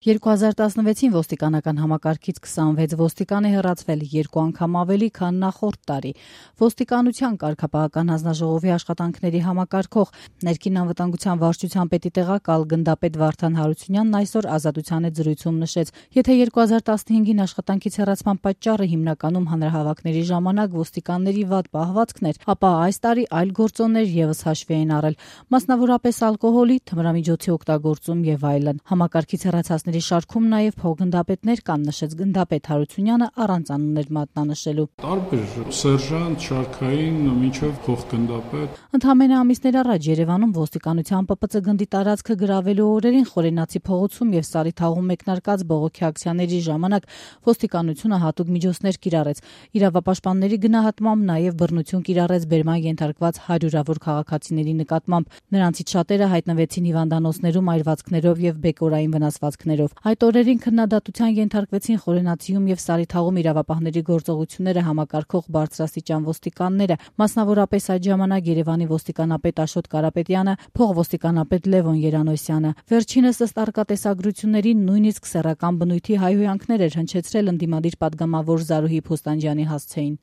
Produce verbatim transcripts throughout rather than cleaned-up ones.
երկու հազար տասնվեցին ոստիկանական համակարգից քսանվեց ոստիկան է հեռացվել, երկու անգամ ավելի, քան նախորդ տարի։ Ոստիկանության կարգապահական հանձնաժողովի աշխատանքների համակարգող ներքին անվտանգության վարչության պետի տեղակալ գնդապետ Վարդան Հարությունյանն այսօր Ազատության հետ զրույցում նշեց, եթե երկու հազար տասնհինգին աշխատանքից հեռացման պատճառը հիմնականում հանրահավաքների ժամանակ ոստիկանների վատ պահվածքն էր, ապա այս տարի այլ գործոններ ևս հաշվի էին առել, մասնավորապես ալկոհոլի, թմրամիջոցի օգտագործում եւ այլն։ Համակարգից հեռացածների շարքում նաև փոխգնդապետներ կան, նշեց գնդապետ Հարությունյանը առանց անուններ մատնանշելու։ Տարբեր սերժանտ, շարքային, մինչև փոխգնդապետ։ Ընդամենը ամիսներ առաջ Երևանում ոստիկանության Պ Պ Ծ գնդի տարածքը գրավելու օրերին Խորենացի փողոցում եւ Սարիթաղում մեկնարկած բողոքի ակցիաների ժամանակ ոստիկանությունը հատուկ միջոցներ կիրառեց։ Իրավապաշտպանների գնահատմամբ նաև բռնություն կիրառեց բերման ենթարկված հարյուրավոր քաղաքացիների նկատմամբ։ Նրանցից շատերը հայտնվեցին հիվանդանոցներում այրվածքներով եւ բեկորային վնասվածքներով։ Այդ օրերին քննադատության ենթարկվեցին Խորենացիում եւ Սարիթաղում իրավապահների գործողությունները համակարգող բարձրաստիճան ոստիկանները, մասնավորապես այդ ժամանակ Երևանի ոստիկանապետ Աշոտ Կարապետյանը, փոխոստիկանապետ Լևոն Երանոսյանը։ Վերջինս ըստ արկատեսագրությունների նույնիսկ սեռական բնույթի հայհոյանքներ էր հնչեցրել ընդդիմադիր պատգամավոր Զարուհի Փոստանջյանի հասցեին։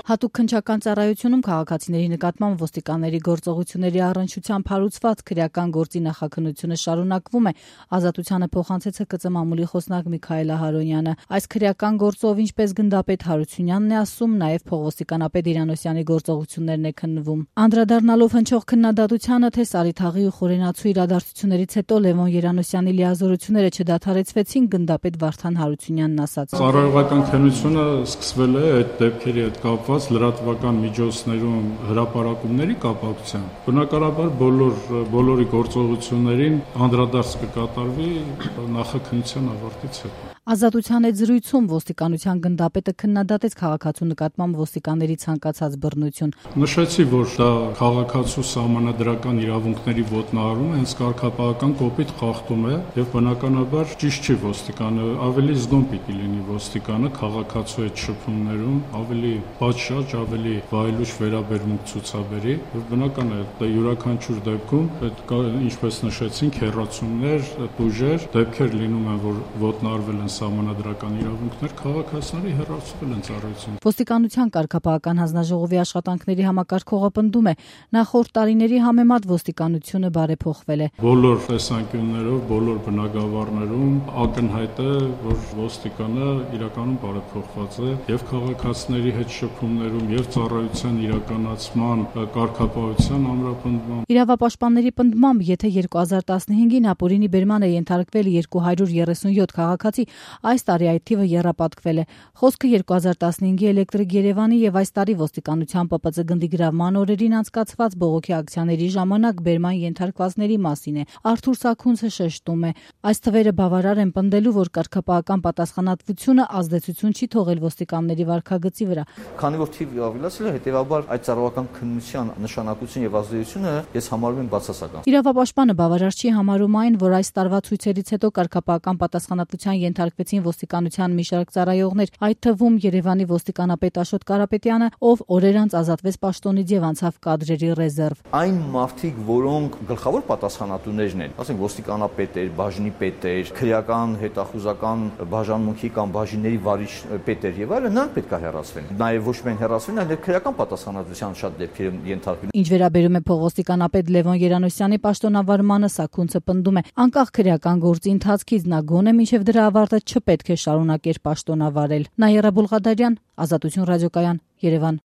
Հատուկ քննչական ծառայությունում քաղաքացիների նկատմամբ ոստիկանների գործողությունների առնչությամբ հարուցված քրեական գործի նախաքննությունը շարունակվում է։ Ազատությանը փոխանցեց Հ Կ Ծ մամուլի խոսնակ Միքայել Ահարոնյանը։ Այս քրեական գործով, ինչպես գնդապետ Հարությունյանն է ասում, նաև փոխոստիկանապետ Երանոսյանի գործողություններն է քննվում։ Անդրադառնալով հնչող քննադատությանը, թե Սարիթաղի ու Խորենացու իրադարձություններից հետո Լևոն Երանոսյանի լիազորությունները չդադարեցվեցին, գնդապետ Վարդան Հարությունյանն ասաց. Ծառայողական քննությունը սկսվել է այդ դեպքերի հետ կապված լրատվական միջոցներում հրապարակումների կապակցությամբ։ Բնականաբար բոլոր բոլորի գործողություններին անդրադարձ կկատարվի նախաքննության ավարտից հետո։ Ազատության հետ զրույցում ոստիկանության գնդապետը քննադատեց քաղաքացու նկատմամբ ոստիկանների ցանկացած բռնություն։ Նշեցի, որ դա քաղաքացու սահմանադրական իրավունքների ոտնահարում է, հենց կարգապահական կոպիտ խախտում է եւ բնականաբար ճիշտ չի ոստիկանը, ավելի զգոն պիտի լինի ոստիկանը քաղաքացու հետ շփումներում, ավելի պատշաճ, ավելի վայելուչ վերաբերմունք ցուցաբերի եւ բնական է, դա յուրաքանչյուր դեպքում պետք է, ինչպես նշեցինք, հեռացումներ, տուժեր, դեպքեր լինում են, որ ոտնահարվել են սահմանադրական իրավունքներ, քաղաքացիների հեռացվել են ծառայությունից։ Ոստիկանության կարգապահական հանձնաժողովի աշխատանքների համակարգողը պնդում է, նախորդ տարիների համեմատ ոստիկանությունը բարեփոխվել է։ Բոլոր տեսանկյուններով, բոլոր բնագավառներում ակնհայտ է, որ ոստիկանը իրականում բարեփոխված է եւ քաղաքացիների հետ շփումներում եւ ծառայության իրականացման կարգապահության ամրապնդման։ Իրավապաշտպանների պնդմամբ, եթե երկու հազար տասնհինգին ապօրինի բերման է ենթարկվել երկու հարյուր երեսունյոթ քաղաքացի, այս տարի այդ թիվը եռապատկվել է։ Խոսքը երկու հազար տասնհինգի Էլեկտրիկ Երևանի եւ այս տարի ոստիկանության Պ Պ Ծ գնդի գրավման օրերին անցկացված բողոքի ակցիաների ժամանակ բերման ենթարկվածների մասին է։ Արթուր Սաքունցը շեշտում է, այս թվերը բավարար են պնդելու, որ կարգապահական պատասխանատվությունը ազդեցություն չի թողել ոստիկանների վարքագծի վրա։ Քանի որ թիվը ավելացել է, հետեւաբար այդ ծառայական քննության նշանակությունը եւ ազդեցությունը ես համարում եմ բացասական։ Իրավապաշտպանը բավարար չի համարում այն, որ այս տարվա ցույցերից հետո կարգապահական պատասխանատվության ենթարկվեցին ոստիկանության մի շարք ծառայողներ, այդ թվում Երևանի ոստիկանապետ Աշոտ Կարապետյանը, ով օրեր անց ազատվեց պաշտոնից եւ անցավ կադրերի ռեզերվ։ Այն մարդիկ, որոնք գլխավոր պատասխանատուներն են, ասենք ոստիկանապետեր, բաժնի պետեր, քրեական հետախուզական բաժանմունքի կամ բաժինների վարիչ պետեր եւ այլն, նրանք պետք է հեռացվեն։ Նաեւ ոչ միայն հեռացվեն, այլ քրեական պատասխանատվության շատ դեպքեր ենթարկվեն։ Ինչ վերաբերում է փոխոստիկանապետ Լևոն Երանոսյանի պաշտոնավարմանը, Սաքունցը պնդում է, անկախ քրեական գործի ընթացքից նա գոնե մինչև դրա ավարտը չպետք է շարունակեր պաշտոնավարել։ Նաիրա Բուլղադարյան, Ազատություն ռադիոկայան, Երևան։